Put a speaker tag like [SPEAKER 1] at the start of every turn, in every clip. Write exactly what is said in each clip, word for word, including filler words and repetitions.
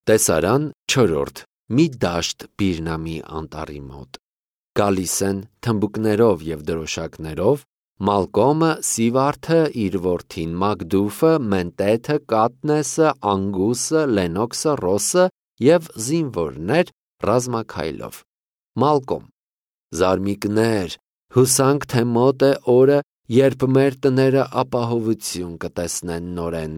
[SPEAKER 1] Տեսարան չորրորդ. Մի դաշտ Բիրնամի անտառի մոտ։ Գալիս են թմբուկներով և դրոշակներով Մալկոմը, Սիվարդը, իր որդին Մագդուֆը, Մենտեթը, Կատնեսը, Անգուսը, Լենոքսը, Ռոսը և զինվորներ ռազմաքայլով։ Մալկոմ. Զարմիկներ, հուսանք, թե մոտ է օրը, երբ մեր տները ապահովություն կտեսնեն նորեն։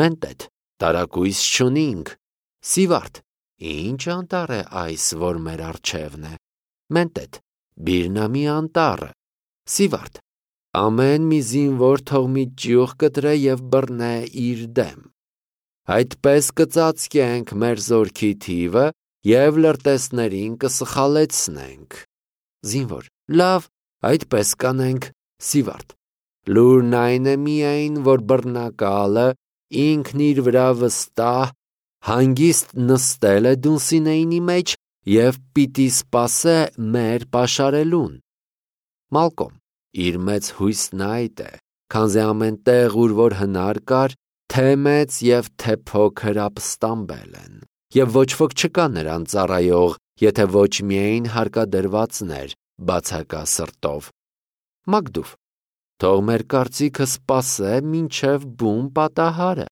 [SPEAKER 1] Մենտեթ. տարակույս չունինք։ Սիվարդ. ինչ անտառ է այս, որ մեր առջևն է։ Մենտեթ. Բիրնամի անտառը։ Սիվարդ. ամեն մի զինվոր թող մի ճյուղ կտրե և բռնե իր դեմ։ Այդպես կծածկենք մեր զորքի թիվը և լրտեսներին կսխալեցնենք։ Զինվոր. լավ, այդպես կանենք։ Սիվարդ. լուրն այն է միայն, որ բռնակալը ինքն իր վրա վստահ հանգիստ նստել է Դունսինեինի մեջ և պիտի սպասե մեր պաշարելուն։ Մալկոմ. իր մեծ հույսն այդ է, քանզի ամեն տեղ, ուր որ հնար կար, թե մեծ և թե փոքր ապստամբել են, և ոչ ոք չկա նրան ծառայող, եթե ոչ միայն հարկադրվածներ բացակա սրտով։ Մագդուֆ. թող մեր կարծիքը սպասե մինչև բուն պատահարը։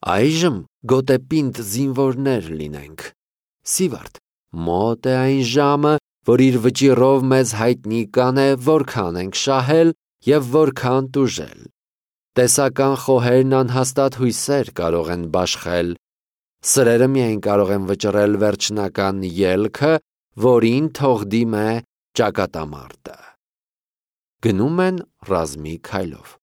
[SPEAKER 1] Այժմ գոտեպինդ զինվորներ լինենք։ Սիվարդ. մոտ է այն ժամը, որ իր վճիռով մեզ հայտնի կանե որքան ենք շահել և որքան տուժել։ Տեսական խոհերն անհաստատ հույսեր կարող են բաշխել։ Սրերը միայն կարող են վճռել վերջնական ելքը, որին թող դիմե ճակատամարտը։ Գնում են ռազմի քայլով։